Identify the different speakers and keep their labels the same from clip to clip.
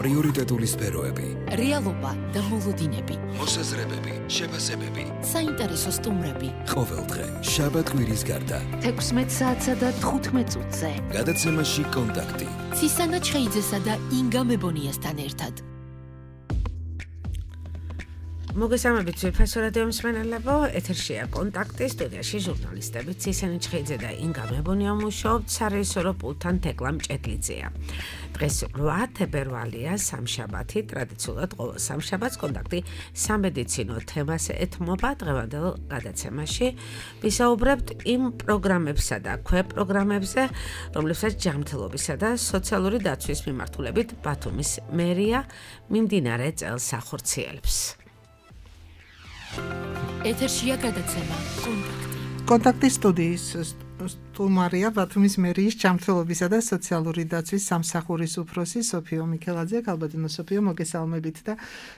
Speaker 1: პრიორიტეტული სფეროები,
Speaker 2: რეალობა და მოლოდინები,
Speaker 1: მოსაზრებები, შეფასებები,
Speaker 2: საინტერესო სტუმრები.
Speaker 1: ყოველდღე, შაბათ-კვირის გარდა,
Speaker 2: 16 საათსა და 15 წუთზე.
Speaker 1: გადაცემაში კონტაქტი.
Speaker 2: ცისანა ჩხეიძესა და ინგა მებონიასთან ერთად.
Speaker 3: მოგესალმებით ძვირფასო რადიო მსმენელებო, ეთერშია კონტაქტი, სტუდიაში ჟურნალისტები ცისანა ჩხეიძე და ინგა მებონია მუშაობთ, სარეჟისორო პულტთან თეკლა მჭედლიძეა. დღეს 8 თებერვალია, სამშაბათი, ტრადიციულად ყოველ სამშაბათს კონტაქტი სამედიცინო თემას ეთმობა. დღევანდელ გადაცემაში ვისაუბრებთ იმ პროგრამებსა და ქვეპროგრამებზე, რომლებსაც ჯანმრთელობისა და სოციალური დაცვის მიმართულებით ბათუმის მერია მიმდინარე წელს ახორციელებს.
Speaker 2: ეთერშია გადაცემა კონტაქტი.
Speaker 4: კონტაქტის სტუდიის სტუმარია ბათუმის მერიის ჯანმრთელობისა და სოციალური დაცვის სამსახურის უფროსი სოფიო მიქელაძე. ალბათინო სოფიო, მოგესალმებით და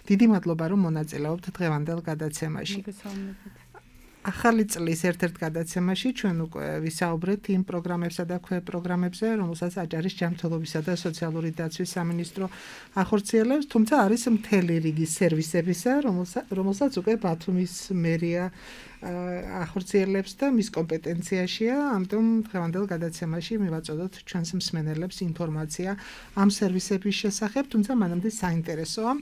Speaker 4: დიდი მადლობა რომ მონაწილეობთ დღევანდელ გადაცემაში.
Speaker 5: მოგესალმებით.
Speaker 4: ახალი წლის ერთ-ერთ გადაცემაში ჩვენ უკვე ვისაუბრეთ იმ პროგრამებსა და ქვეპროგრამებზე, რომელსაც აჭარის ჯანმრთელობისა და სოციალური დაცვის სამინისტრო ახორციელებს, თუმცა არის მთელი რიგი სერვისებისა, რომელსაც უკვე ბათუმის მერია ახორციელებს და მის კომპეტენციაშია, ამიტომ დღევანდელ გადაცემაში მივაწოდოთ ჩვენს მსმენელებს ინფორმაცია ამ სერვისების შესახებ, თუმცა მანამდე საინტერესოა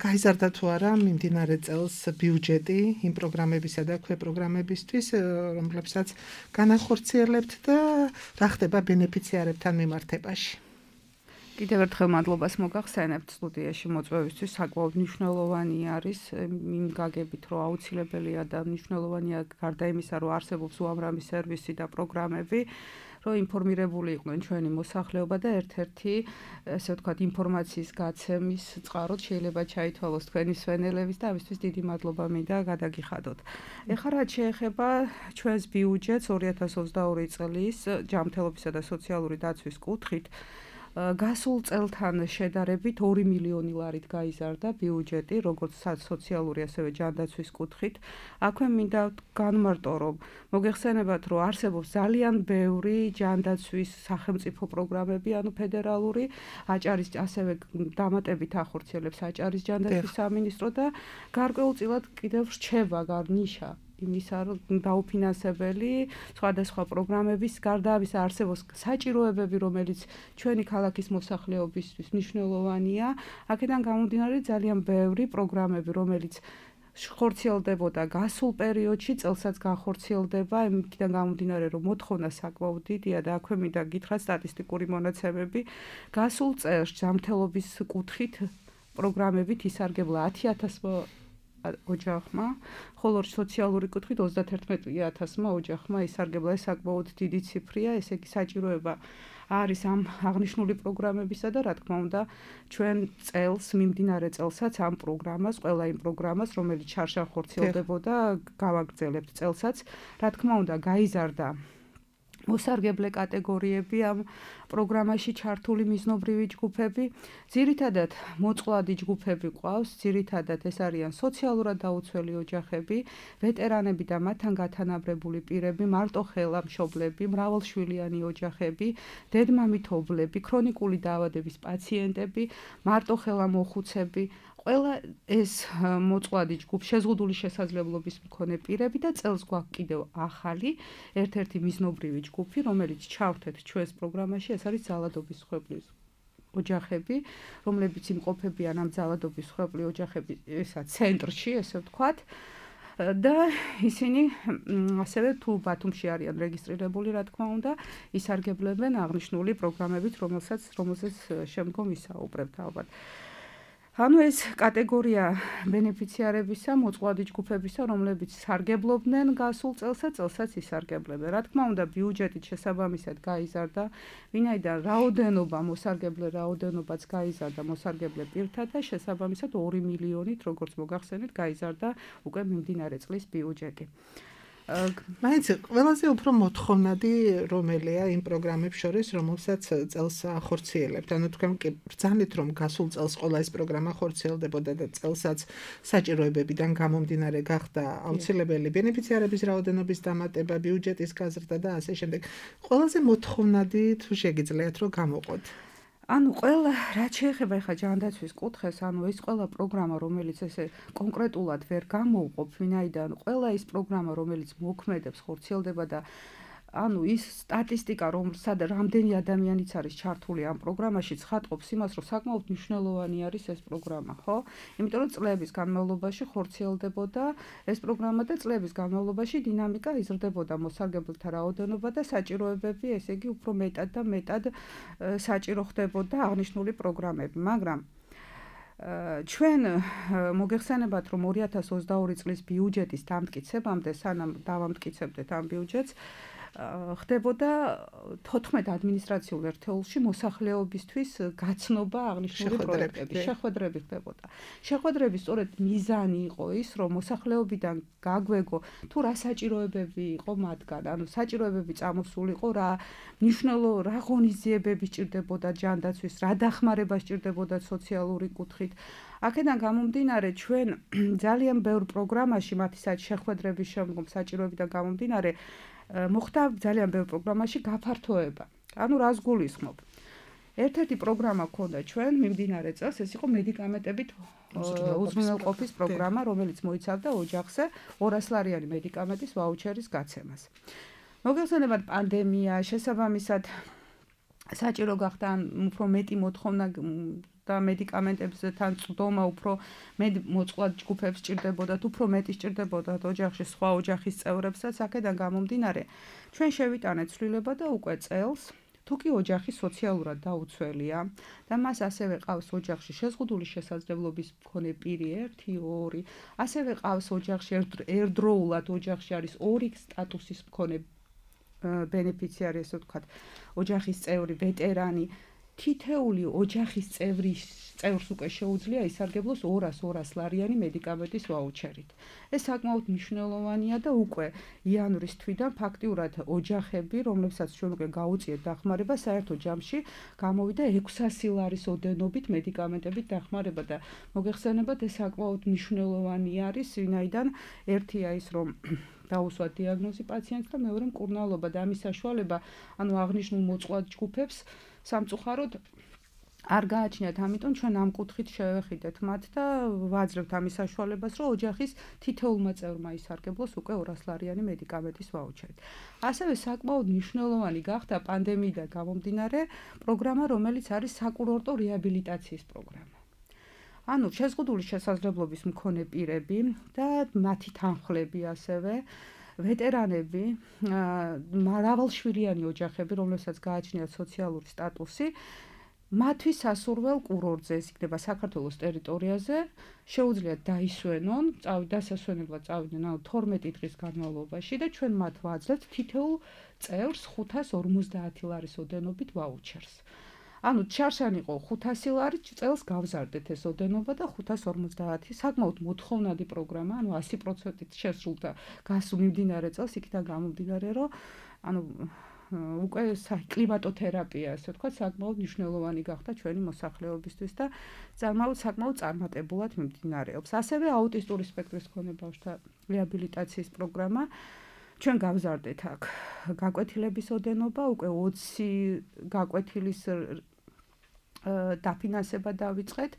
Speaker 4: გაიზარდა თუ არა მიმდინარე წელს ბიუჯეტი იმ პროგრამებისა და ქვეპროგრამებისთვის, რომლებსაც განახორციელებთ და რა ხდება ბენეფიციარებთან მიმართებაში.
Speaker 5: კიდევ ერთხელ მადლობას მოგახსენებთ სტუდიაში მოწვევისთვის. საკმაოდ მნიშვნელოვანი არის იმ გაგებით, რომ აუცილებელია და მნიშვნელოვანია გარდა იმისა, რომ არსებობს უამრავი სერვისი და პროგრამები, რომ ინფორმირებული იყვნენ ჩვენი მოსახლეობა და ერთ-ერთი, ესე ვთქვათ, ინფორმაციის გაცემის წყაროდ შეიძლება ჩაითვალოს თქვენი მსმენელების და ამისთვის დიდი მადლობა მინდა გადაგიხადოთ. ეხლა რაც შეეხება ჩვენს ბიუჯეტს 2022 წლის ჯანმრთელობისა და სოციალური დაცვის კუთხით, გასულ წელთან შედარებით 2 მილიონი ლარით გაიზარდა ბიუჯეტი, როგორც სოციალური ასევე ჯანდაცვის კუთხით. აქვე მინდა განმარტო, რომ მოგეხსენებათ, რომ არსებობს ძალიან ბევრი ჯანდაცვის სახელმწიფო პროგრამები, ანუ ფედერალური, აჭარის ასევე დამატებით ახორციელებს აჭარის ჯანდაცვის სამინისტრო და გარკვეულწილად კიდევ რჩება ნიშა იმისა, რომ დაუფინანსებელი სხვადასხვა პროგრამების გარდა ამისა არსებობს საჭიროებები, რომელიც ჩვენი ქალაქის მოსახლეობისთვის მნიშვნელოვანია. აქედან გამომდინარე ძალიან ბევრი პროგრამები, რომელიც ხორციელდებოდა გასულ პერიოდში, წელსაც განხორციელდება, იმიდან გამომდინარე, რომ მოთხოვნა საკმაოდ დიდია და აქვე მინდა გითხრათ სტატისტიკური მონაცემები. გასულ წელს ჯანმრთელობის კუთხით პროგრამებით ისარგებლა 10,000 ოჯახმა, ხოლო სოციალური კუთხით 31,000 ოჯახმა ისარგებლა. ეს საკმაოდ დიდი ციფრია, ესე იგი საჭიროება არის ამ აღნიშნული პროგრამებისა და რა თქმა უნდა ჩვენ წელს, მიმდინარე წელსაც ამ პროგრამას, ყველა იმ პროგრამას, რომელიც შარშან ხორციელდებოდა, გავაგრძელებთ წელსაც. რა თქმა უნდა გაიზარდა მოსარგებლე კატეგორიები ამ პროგრამაში ჩართული მიზნობრივი ჯგუფები. ძირითადად მოწყვლადი ჯგუფები ყავს, ძირითადად ეს არიან სოციალურად დაუცველი ოჯახები, ვეტერანები და მათთან გათანაბრებული პირები, მარტოხელა მშობლები, მრავალშვილიანი ოჯახები, დედმამითოვლები, ქრონიკული დაავადების პაციენტები, მარტოხელა მოხუცები. ყველა ეს მოწყვლადი ჯგუფ შეზღუდული შესაძლებლობის მქონე პირები და წელს გვაქვს კიდევ ახალი ერთ-ერთი მიზნობრივი ჯგუფი, რომელიც ჩავთეთ ჩვენს პროგრამაში, ეს არის ძალადობის მსხვერპლის ოჯახები, რომლებიც იმყოფებიან ამ ძალადობის მსხვერპლი ოჯახები ესა ცენტრში, ესე ვთქვათ. და ისინი ასევე თუ ბათუმში არიან რეგისტრირებული, რა თქმა უნდა, ისარგებლებენ აღნიშნული პროგრამებით, რომელსაც შემდგომ ვისაუბრებთ ალბათ. ანუ ეს კატეგორია ბენეფიციარებისა, მოწყვლადი ჯგუფებისა, რომლებიც სარგებლობდნენ გასულ წელსაც ისარგებლებენ. რა თქმა უნდა, ბიუჯეტით შესაბამისად გაიზარდა, ვინაიდან რაოდენობა, მოსარგებლე რაოდენობაც გაიზარდა მოსარგებლე პირთა და შესაბამისად 2 მილიონით, როგორც მოგახსენეთ, გაიზარდა უკვე მიმდინარე წლის ბიუჯეტი.
Speaker 4: მაინც ყველაზე უფრო მოთხოვნადი რომელია იმ პროგრამებს შორის, რომელსაც წელს ახორციელებთ. ანუ თქვენ კი ბრძანეთ, რომ გასულ წელს ყველა ეს პროგრამა ხორციელდებოდა და წელსაც საჭიროებებიდან გამომდინარე გახდა აუცილებელი ბენეფიციარების რაოდენობის დამატება, ბიუჯეტის გაზრდა და ასე შემდეგ. ყველაზე მოთხოვნადი თუ შეგიძლიათ რომ გამოყოთ.
Speaker 5: ანუ ყველა რაც შეეხება ხა ჯანდაცვის კუთხეს, ანუ ეს ყველა პროგრამა, რომელიც ესე კონკრეტულად ვერ გამოუყოფ, ვინაიდან ყველა ის პროგრამა, რომელიც მოქმედებს, ხორციელდება და ანუ ის სტატისტიკა, რომ სადა რამდენი ადამიანიც არის ჩართული ამ პროგრამაში, ცხადყოფს იმას, რომ საკმაოდ მნიშვნელოვანი არის ეს პროგრამა, ხო? იმიტომ რომ წლების განმავლობაში ხორციელდებოდა ეს პროგრამა და წლების განმავლობაში დინამიკა იზრდებოდა მოსარგებელთა რაოდენობა და საჭიროებები, ესე იგი, უფრო მეტად და მეტად საჭირო ხდებოდა აღნიშნული პროგრამები, მაგრამ ჩვენ მოგეხსენებათ, რომ 2022 წლის ბიუჯეტის დამტკიცებამდე, სანამ დავამტკიცებდეთ ამ ბიუჯეტს, ხდებოდა 14 ადმინისტრაციულ ერთეულში მოსახლეობისთვის გაცნობა აღნიშნული პროექტების შეხვედრები ხდებოდა. შეხვედრების სწორედ მიზანი იყო ის, რომ მოსახლეობიდან გაგვეგო თუ რა საჭიროებები იყო მათგან, ანუ საჭიროებები წამოსულიყო, რა ღონისძიებები სჭირდებოდა ჯანდაცვის, რა დახმარება სჭირდებოდა სოციალური კუთხით. აქედან გამომდინარე, ჩვენ ძალიან ბევრ პროგრამაში მათი შეხვედრების შემდგომ საჭიროებიდან გამომდინარე მოხდა ძალიან ბევრ პროგრამაში გაფართოება. ანუ რას გულისხმობ? ერთ-ერთი პროგრამა ქონდა ჩვენ მიმდინარე წელს, ეს იყო მედიკამენტებით უზრუნველყოფის პროგრამა, რომელიც მოიცავდა ოჯახზე 200 ლარიანი მედიკამენტის ვაუჩერის გაცემას. მოგეხსენებათ პანდემია, შესაბამისად საჭირო გახდა უფრო მეტი მოთხოვნა და მედიკამენტებთან წვდომა უფრო მეტ მოწყვლად ჯგუფებს სჭირდებოდა, უფრო მეტი სჭირდებოდა ოჯახში სხვა ოჯახის წევრებსაც, აქედან გამომდინარე, ჩვენ შევიტანეთ ცვლილება და უკვე წელს თუ კი ოჯახი სოციალურად დაუცველია და მას ასევე ყავს ოჯახში შეზღუდული შესაძლებლობის მქონე პირი 1-2, ასევე ყავს ოჯახში ერთდროულად ოჯახში არის 2 სტატუსის მქონე ბენეფიციარი, ესე ვთქვათ, ოჯახის წევრი, ვეტერანი, თითეული ოჯახის წევრს უკვე შეუძლია ისარგებლოს 200 ლარიანი მედიკამენტის ვაუჩერით. ეს საკმაოდ მნიშვნელოვანია და უკვე იანვრის თვიდან ფაქტიურად ოჯახები, რომლებსაც ჩვენ უკვე გაუწიეთ დახმარება, საერთო ჯამში გამოვიდა 600 ლარის ოდენობით მედიკამენტებით დახმარება და მოგეხსენებათ, ეს საკმაოდ მნიშვნელოვანი არის, ვინაიდან ერთია ის, რომ დაუსვათ დიაგნოზი პაციენტს და მეორე მკურნალობა და ამის საშუალება, ანუ აღნიშნულ მოწყვლად ჯგუფებს სამწუხაროდ არ გააჩნიათ, ამიტომ ჩვენ ამ კუთხით შევეხიდეთ მათ და ვაძლევთ ამის საშუალებას, რომ ოჯახის თითოეულმა წევრმა ისარგებლოს უკვე 200 ლარიანი მედიკამენტის ვაუჩერით. ასევე საკმაოდ მნიშვნელოვანი გახდა პანდემიიდან გამომდინარე პროგრამა, რომელიც არის საკურორტო რეაბილიტაციის პროგრამა. ანუ შეზღუდული შესაძლებლობის მქონე პირები და მათი თანხლები ასევე ვეტერანები, მრავალშვილიანი ოჯახები, რომლებსაც გააჩნიათ სოციალური სტატუსი, მათთვის სასურველ კურორტზე, ეს იქნება საქართველოს ტერიტორიაზე, შეუძლიათ დაისვენონ, დასასვენებლად წავიდნენ 12 დღის განმავლობაში და ჩვენ მათ ვაძლევთ თითოეულ წევრს 550 ლარის ოდენობით ვაუჩერს. ანუ ჩარშან იყო 500 ლარი, წელს გავზარდეთ ეს ოდენობა და 550, საკმაოდ მოთხოვნადი პროგრამა, ანუ 100%-ით შესრულდა გასულ მიმდინარე წელს, იქიდან გამომდინარე, რომ ანუ უკვე კლიმატოთერაპია, ასე ვთქვათ, საკმაოდ მნიშვნელოვანი გახდა ჩვენი მოსახლეობისთვის და საკმაოდ წარმატებულად მიმდინარეობს. ასევე აუტისტური სპექტრის მქონე ბავშვთა რეაბილიტაციის პროგრამა. ჩვენ გავზარდეთ აქ გაკვეთილების ოდენობა, უკვე 20 გაკვეთილის დაფინანსება დავიწყეთ.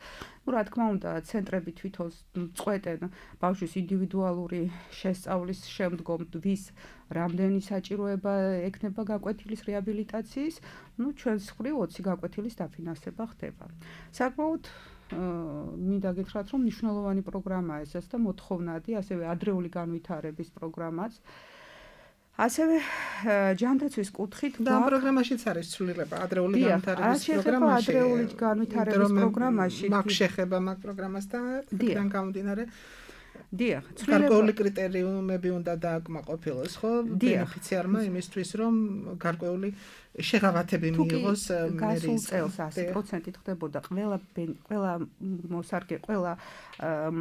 Speaker 5: რა თქმა უნდა, ცენტრები თვითონ წყვეტენ ბავშვის ინდივიდუალური შესწავლის შემდგომ ვის რამდენი საჭიროება ექნება გაკვეთილის რეაბილიტაციის, ჩვენს მხრივ 20 გაკვეთილის დაფინანსება ხდება. საკმაოდ მინდა გითხრათ, რომ მნიშვნელოვანი პროგრამაა ეს და მოთხოვნადი, ასევე ადრეული განვითარების პროგრამაც. ასევე ჯანდაცვის კუთხით
Speaker 4: და ამ პროგრამაშიც არის ცვლილება ადრეული განვითარების პროგრამაში.
Speaker 5: ადრეული განვითარების პროგრამაში
Speaker 4: მაგ შეხება მაგ პროგრამას და იქიდან გამომდინარე
Speaker 5: დიახ,
Speaker 4: გარკვეული კრიტერიუმები უნდა დააკმაყოფილოს, ხო? ბენეფიციარმა იმისთვის, რომ გარკვეული შეღავათები მიიღოს
Speaker 5: გასულ წელს 100%-ით ხდებოდა ყველა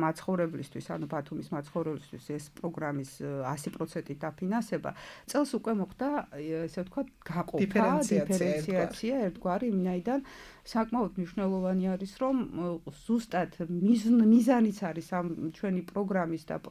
Speaker 5: მაცხოვრებლისთვის, ანუ ბათუმის მაცხოვრებლისთვის ეს პროგრამის 100%-ით დაფინანსება. წელს უკვე მოხდა, ესე ვთქვათ, გაყოფა, დიფერენციაცია ერთგვარი, ვინაიდან საკმაოდ მნიშვნელოვანი არის, რომ ზუსტად მიზანიც არის ამ ჩვენი პროგრამის და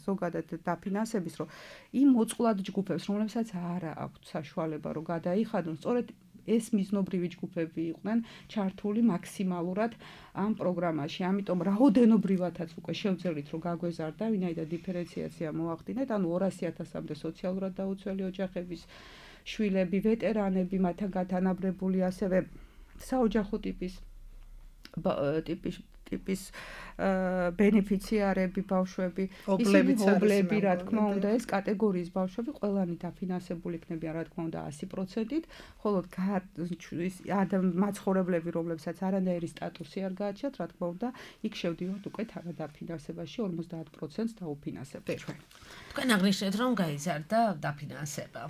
Speaker 5: ზოგადად დაფინანსების, რომ იმ მოწყვლად ჯგუფებს, რომლებსაც არ აქვთ საშუალება, რომ გადაიხადონ, სწორედ ეს მიზნობრივი ჯგუფები იყვნენ ჩართული მაქსიმალურად ამ პროგრამაში. ამიტომ რაოდენობრივათაც უკვე შევძელით რომ გაგვეზარდა, ვინაიდან დიფერენციაცია მოახდინეთ, ანუ 200.000-მდე სოციალურად დაუცველი ოჯახების შვილები, ვეტერანები, მათთან გათანაბრებული ასევე საოჯახო ტიპის ბენეფიციარები, ბავშვები, ობლები, რა თქმა უნდა, ეს კატეგორიის ბავშვები ყველანი დაფინანსებული იქნებიან, რა თქმა უნდა, 100%-ით, ხოლო მაცხოვრებლები, რომლებსაც არანაირი სტატუსი არ გააჩნიათ, რა თქმა უნდა, იქ შევდივართ უკვე თანადაფინანსებაში 50%-ს დაუფინანსებთ ჩვენ.
Speaker 3: თქვენ აღნიშნეთ, რომ გაიზარდა დაფინანსება.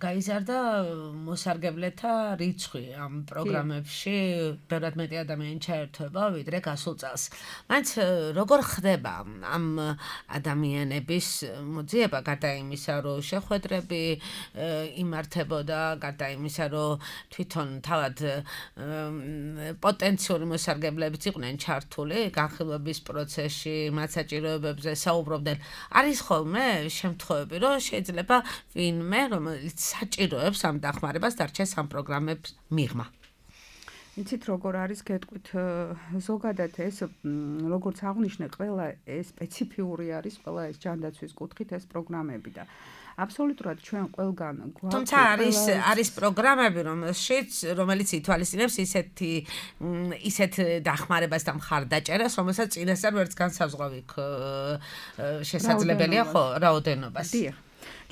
Speaker 3: გაიზარდა მოსარგებლეთა რიცხვი ამ პროგრამებში, ბევრად მეტი ადამიანი ჩაერთვება, ვიდრე გასულ წელს. მაინც როგორ ხდება ამ ადამიანების მოძიება, გარდა იმისა, რომ შეხვედრები იმართებოდა, გარდა იმისა, რომ თვითონ თავად პოტენციური მოსარგებლებიც იყვნენ ჩართული განხილვების პროცესში, მათ საჭიროებებზე საუბრობდნენ. არის ხოლმე შემთხვევები, რომ შეიძლება ვინმე, რომელიც საჭიროებს ამ დახმარებას, დარჩეს ამ პროგრამებს მიღმა.
Speaker 5: იცით როგორ არის გეტყვით ზოგადად ეს როგორც აღნიშნე ყველა ეს სპეციფიური არის ყველა ეს ჯანდაცვის კუთხით ეს პროგრამები და აბსოლუტურად ჩვენ ყველგან გვაქვს
Speaker 3: თუმცა არის პროგრამები რომელიც ითვალისწინებს ისეთ დახმარებას და მხარდაჭერას რომელსაც წინასწარ ვერც განსაზღვრავი შესაძლებელია ხო რაოდენობას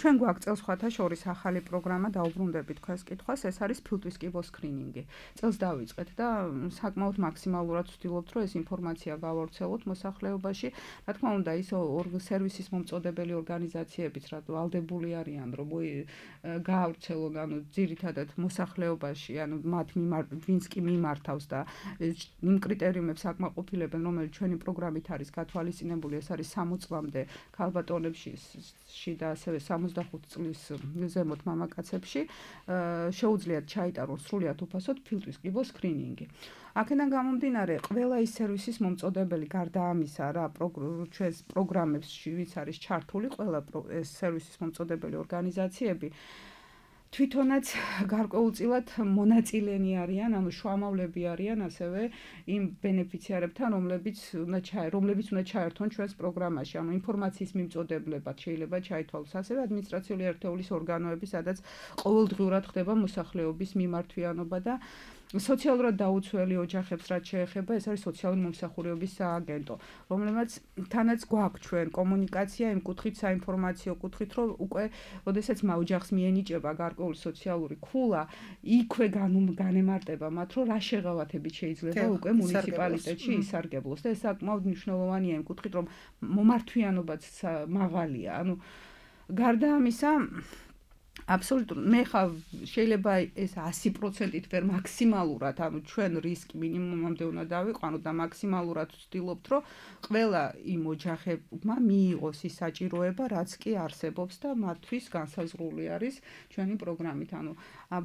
Speaker 5: ჩვენ გვაქვს წელს სხვათა შორის ახალი პროგრამა დაუბრუნდებით თქვენს კითხვას, ეს არის ფილტვის კიბოს სკრინინგი. წელს დავიწყეთ და საკმაოდ მაქსიმალურად ვცდილობთ, რომ ეს ინფორმაცია გავავრცელოთ მოსახლეობაში. რა თქმა უნდა, ის სერვისის მომწოდებელი ორგანიზაციებიც რა ვალდებული არიან, რომ გაავრცელონ, ანუ ძირითადად მოსახლეობაში, ანუ მათ ვინც კი მიმართავს და იმ კრიტერიუმებს აკმაყოფილებენ, რომელიც ჩვენი პროგრამით არის გათვალისწინებული, ეს არის 60 წლამდე ქალბატონებში და ასევე 65 წლის ზემოთ მამაკაცებში შეუძლიათ ჩაიტარონ სრულიად უფასოდ ფილტვის კიბოს სკრინინგი. აქედან გამომდინარე, ყველა ის სერვისის მომწოდებელი გარდა ამისა, რა ჩვენს პროგრამებში ვინც არის ჩართული, ყველა ეს სერვისის მომწოდებელი ორგანიზაციები თვითონაც გარკვეულწილად მონაწილენი არიან, ანუ შუამავლები არიან ასევე იმ ბენეფიციარებთან, რომლებიც უნდა ჩაერთონ ჩვენს პროგრამაში, ანუ ინფორმაციის მიმწოდებლებად შეიძლება ჩაითვალოს, ასევე ადმინისტრაციული ერთეულის ორგანოები, სადაც ყოველდღიურად ხდება მოსახლეობის მიმართვიანობა და სოციალურად დაუცველი ოჯახებს რაც შეეხება, ეს არის სოციალური მომსახურების სააგენტო, რომლებიც თანაც გვაქვს ჩვენ კომუნიკაცია იმ კუთხით, საინფორმაციო კუთხით, რომ უკვე ოდესაც ოჯახს მიენიჭება გარკვეული სოციალური ქულა, იქვე განემარტება მათ, რომ რა შეღავათებით შეიძლება უკვე მუნიციპალიტეტში ისარგებლოს და ეს საკმაოდ მნიშვნელოვანია იმ კუთხით, რომ მომართვიანობაც მაღალია. ანუ გარდა ამისა აბსოლუტურად მე ხა შეიძლება ეს 100%-ით ვერ მაქსიმალურად, ანუ ჩვენ რისკი მინიმუმამდე უნდა დავიყვანოთ და მაქსიმალურად ვცდილობთ, რომ ყველა იმ ოჯახებმა მიიღოს ის საჭიროება, რაც კი არსებობს და მათთვის განსაზღვრული არის ჩვენი პროგრამით. ანუ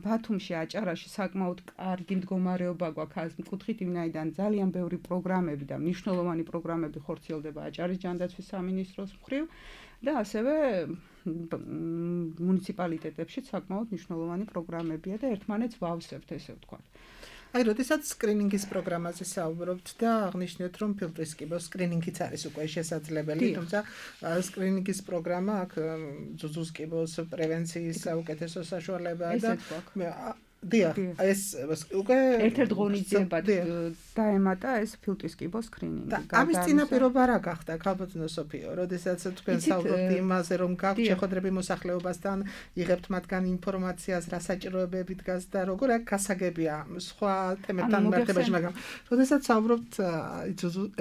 Speaker 5: ბათუმში, აჭარაში საკმაოდ კარგი მდგომარეობა გვაქვს ამ კუთხით, ვინაიდან ძალიან ბევრი პროგრამები და მნიშვნელოვანი პროგრამები ხორციელდება აჭარის ჯანდაცვის სამინისტროს მხრივ და ასევე მუნიციპალიტეტებში საკმაოდ მნიშვნელოვანი პროგრამებია და ერთმანეთს ვავსებთ, ესე ვთქვათ.
Speaker 4: აი, როდესაც სკრინინგის პროგრამაზე საუბრობთ და აღნიშნეთ, რომ ფილტვის კიბოს სკრინინგიც არის უკვე შესაძლებელი, თუმცა სკრინინგის პროგრამა აქ ძუძუს კიბოს პრევენციის საუკეთესო საშუალებაა და დიახ, ეს უკვე
Speaker 5: ერთ-ერთ ღონისძიებად დაემატა ეს ფილტვის კიბოს სკრინინგი.
Speaker 4: ამის წინაპირობა რა გახდა, ქალბატონო სოფიო, როდესაც თქვენ საუბრობთ იმაზე, რომ გაქვთ შეხვედრები მოსახლეობასთან, იღებთ მათგან ინფორმაციას, რა საჭიროებები დგას და როგორ აქ გასაგებია სხვა თემებთან მიმართებაში, მაგრამ როდესაც საუბრობთ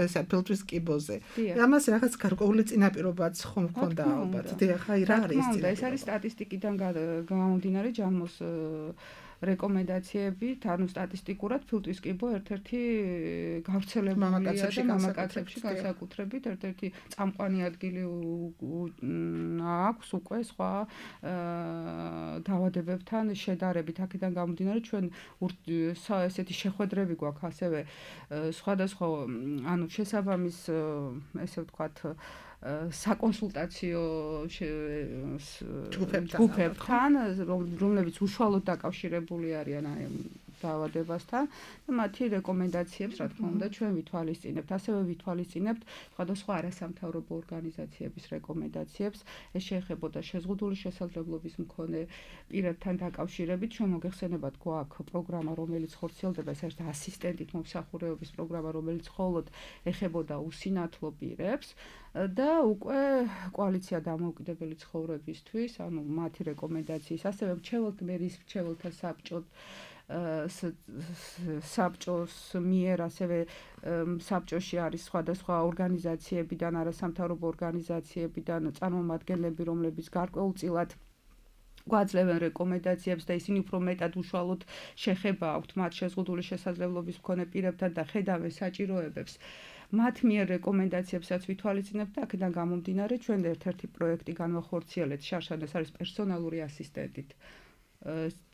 Speaker 4: ესა ფილტვის კიბოზე, ამას რაღაც გარკვეული წინაპირობაც ხომ ჰქონდა ალბათ. დიახ, აი რა არის წინაპირობა?
Speaker 5: ეს არის სტატისტიკიდან გამომდინარე ჯანმოს რეკომენდაციები, ანუ სტატისტიკურად ფილტვის კიბო ერთ-ერთი გავრცელებულია მამაკაცებში განსაკუთრებით, ერთ-ერთი წამყვანი ადგილი აქვს უკვე სხვა დაავადებებთან შედარებით. აქედან გამომდინარე, ჩვენ ესეთი შეხვედრები გვაქვს ასევე სხვადასხვა, ანუ შესაბამის, ესე ვთქვათ, საკონსულტაციო ჯგუფებთან, რომლებიც უშუალოდ დაკავშირებული არიან აი დაავადებასთან და მათი რეკომენდაციებს, რა თქმა უნდა, ჩვენ ვითვალისწინებთ. ასევე ვითვალისწინებთ სხვადასხვა არასამთავრობო ორგანიზაციების რეკომენდაციებს. ეს შეეხებოდა შეზღუდული შესაძლებლობის მქონე პირებთან დაკავშირებით. ჩვენ მოგეხსენებათ, გვაქვს პროგრამა, რომელიც ხორციელდება, ეს არის ასისტენტით მომსახურებების პროგრამა, რომელიც მხოლოდ ეხებოდა უსინათლო პირებს და უკვე კოალიცია დამოუკიდებელი ცხოვრებისთვის, ანუ მათი რეკომენდაციის, ასევე მრჩეველთა საბჭოს მიერ ასევე საბჭოში არის სხვადასხვა ორგანიზაციებიდან, არასამთავრობო ორგანიზაციებიდან წარმომადგენლები, რომლებიც გარკვეულწილად გვაძლევენ რეკომენდაციებს და ისინი უფრო მეტად უშუალოდ შეხება აქვთ მათ შეზღუდული შესაძლებლობის მქონე პირებთან და ხედავენ საჭიროებებს. მათ მიერ რეკომენდაციებსაც ვითვალისწინებთ და აქედან გამომდინარე ჩვენ ერთ-ერთი პროექტი განვახორციელეთ შარშან, ეს არის პერსონალური ასისტენტით.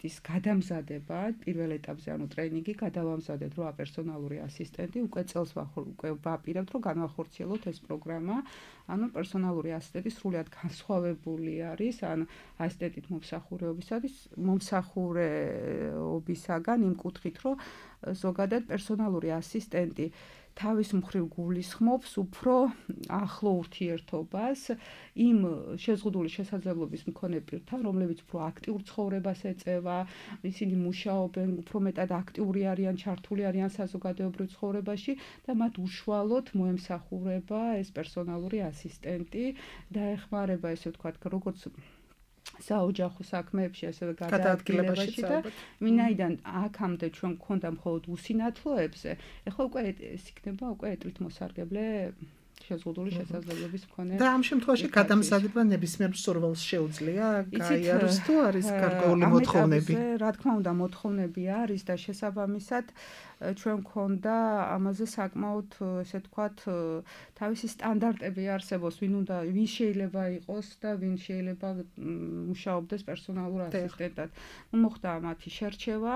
Speaker 5: ის გადამზადება პირველ ეტაპზე, ანუ ტრეინინგი გადავამზადეთ 8 პერსონალური ასისტენტი, უკვე წელს უკვე ვაპირებთ, რომ განვახორციელოთ ეს პროგრამა. ანუ პერსონალური ასისტენტი სრულად განსხვავებული არის, ან ასისტენტით მომსახურებისაგან იმ კუთხით, რომ ზოგადად პერსონალური ასისტენტი თავის მხრივ გულისხმობს უფრო ახლო ურთიერთობას იმ შეზღუდული შესაძლებლობის მქონე პირთან, რომლებიც უფრო აქტიურ ცხოვრებას ეწევა, ისინი მუშაობენ, უფრო მეტად აქტიური არიან, ჩართული არიან საზოგადოებრივ ცხოვრებაში და მათ უშუალოდ მოემსახურება ეს პერსონალური ასისტენტი და ეხმარება, ესე ვთქვათ, როგორც საოჯახო საქმეებში, ასევე გადაადგილებაში და ვინაიდან აქამდე ჩვენ გვქონდა მხოლოდ უსინათლოებზე, ეხლა უკვე ეს იქნება უკვე ეტლით მოსარგებლე შეზღუდული შესაძლებლობის მქონე.
Speaker 4: და ამ შემთხვევაში გადამზადება ნებისმიერ მსურველს შეუძლია გაიაროს თუ არის გარკვეული მოთხოვნები?
Speaker 5: რა თქმა უნდა, მოთხოვნები არის და შესაბამისად ჩვენ გვქონდა ამაზე საკმაოდ, ესე ვთქვათ, თავისი სტანდარტები არსებობს, ვინ შეიძლება იყოს და ვინ შეიძლება მუშაობდეს პერსონალურ ასისტენტად. მოხდა მათი შერჩევა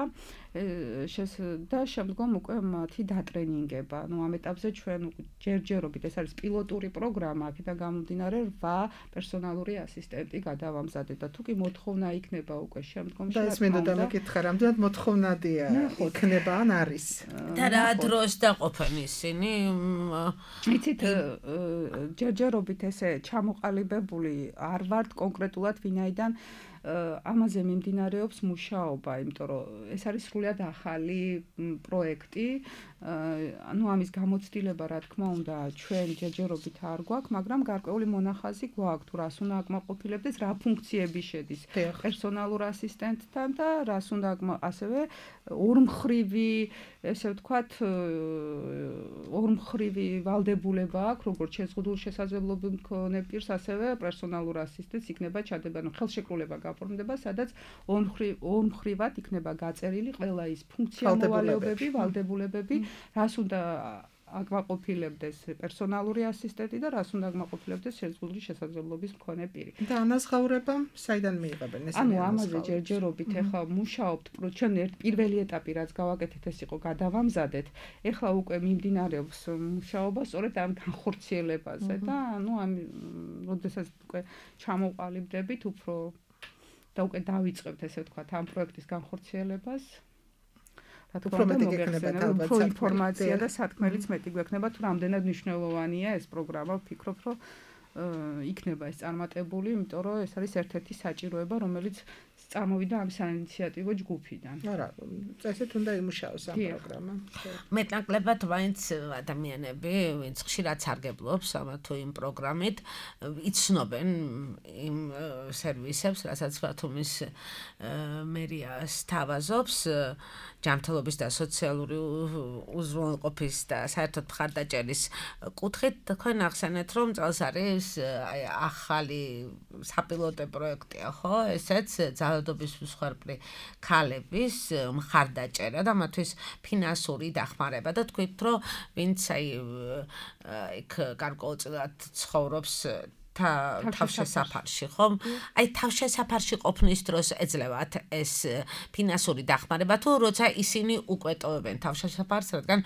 Speaker 5: და შემდგომ უკვე მათი დატრენინგება. ამ ეტაპზე ჩვენ ჯერჯერობით, ეს არის პილოტური პროგრამა, აქედან გამომდინარე 8 პერსონალური ასისტენტი გადავამზადეთ და თუ კი მოთხოვნა იქნება უკვე შემდგომში,
Speaker 4: და ეს მინდოდა მეკითხა, რამდენად მოთხოვნადია იქნება ან არის?
Speaker 3: და რა დროს დაყოფენ ისინი?
Speaker 5: იცით, ჯერჯერობით ესე ჩამოყალიბებული არ ვართ კონკრეტულად, ვინაიდან ამაზე მიმდინარეობს მუშაობა, იმიტომ რომ ეს არის სრულიად ახალი პროექტი. ანუ ამის გამოცდილება, რა თქმა უნდა, ჩვენ ჯერჯერობით არ გვაქვს, მაგრამ გარკვეული მონახაზი გვაქვს, თუ რას უნდა აკმაყოფილებდეს, რა ფუნქციები შედის პერსონალურ ასისტენტთან და რას უნდა ასევე ორმხრივი, ესე ვთქვათ, ორმხრივი ვალდებულება აქვს, როგორც შეზღუდული შესაძლებლობის მქონე პირს, ასევე პერსონალურ ასისტენტს იქნება ჩადება, ანუ ხელშეკრულება გაფორმდება, სადაც ორმხრივად იქნება გაწერილი ყველა ის ფუნქციონალებები, ვალდებულებები, რას უნდა აკმაყოფილებდეს პერსონალური ასისტენტი და რას უნდა აკმაყოფილებდეს შეზღუდული შესაძლებლობის მქონე პირი.
Speaker 4: და ანაზღაურება საიდან მიიღებენ ეს?
Speaker 5: ანუ ამაზე ჯერჯერობით ეხლა მუშაობთ, ჩვენ პირველი ეტაპი რაც გავაკეთეთ, ეს იყო გადავამზადეთ. ეხლა უკვე მიმდინარეობს მუშაობა სწორედ ამ განხორციელებაზე და ანუ ამ როდესაც უკვე ჩამოყალიბდებით უფრო და უკვე დავიწყებთ, ესე ვთქვათ, ამ პროექტის განხორციელებას. რა თქმა უნდა, მოგეხსენებათ უფრო ინფორმაცია და სათქმელიც მეტი გვექნება, თუ რამდენად მნიშვნელოვანია ეს პროგრამა. ვფიქრობ, რომ იქნება ეს წარმატებული, იმიტომ რომ ეს არის ერთ-ერთი საჭიროება, რომელიც წარმოვიდა ამ საინიციატივო ჯგუფიდან.
Speaker 4: არა, წესით უნდა იმუშაოს ამ პროგრამა.
Speaker 3: მეტნაკლებად მაინც ადამიანები, ვინც ხშირად სარგებლობს ამა თუ იმ პროგრამით, იცნობენ იმ სერვისებს, რასაც ბათუმის მერია სთავაზობს, ჯანმრთელობის და სოციალური უზრუნველყოფის და საერთოდ მხარდაჭერის კუთხით. თქვენ ახსენეთ, რომ წელს არის ახალი საპილოტო პროექტია, ხო? ესეც ძალადობის მსხვერპლი ქალების მხარდაჭერა და მათთვის ფინანსური დახმარება და თქვით, რომ ვინც იქ გარკვეულწილად ცხოვრობს თავშესაფარში, ხომ? აი თავშესაფარში ყოფნის დროს ეძლევათ ეს ფინანსური დახმარება თუ როცა ისინი უკვე ტოვებენ თავშესაფარს, რადგან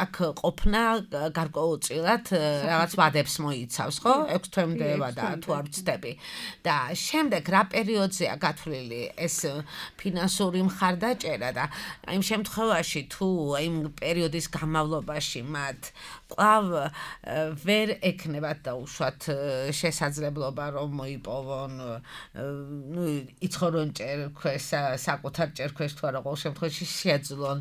Speaker 3: აქ ყოფნა გარკვეულწილად რაღაც ვადებს მოიცავს, ხო? 6 თვემდე ვადა თუ არ ვცდები. და შემდეგ რა პერიოდზეა გათვლილი ეს ფინანსური მხარდაჭერა და იმ შემთხვევაში თუ იმ პერიოდის განმავლობაში მათ კვლავ ვერ ექნებათ დაუშვათ შესაძლებლობა რომ მოიპოვონ იცხოვრონ ჭერქვეს საკუთარ ჭერქვეს თუ არა ყოველ შემთხვევაში შეძლონ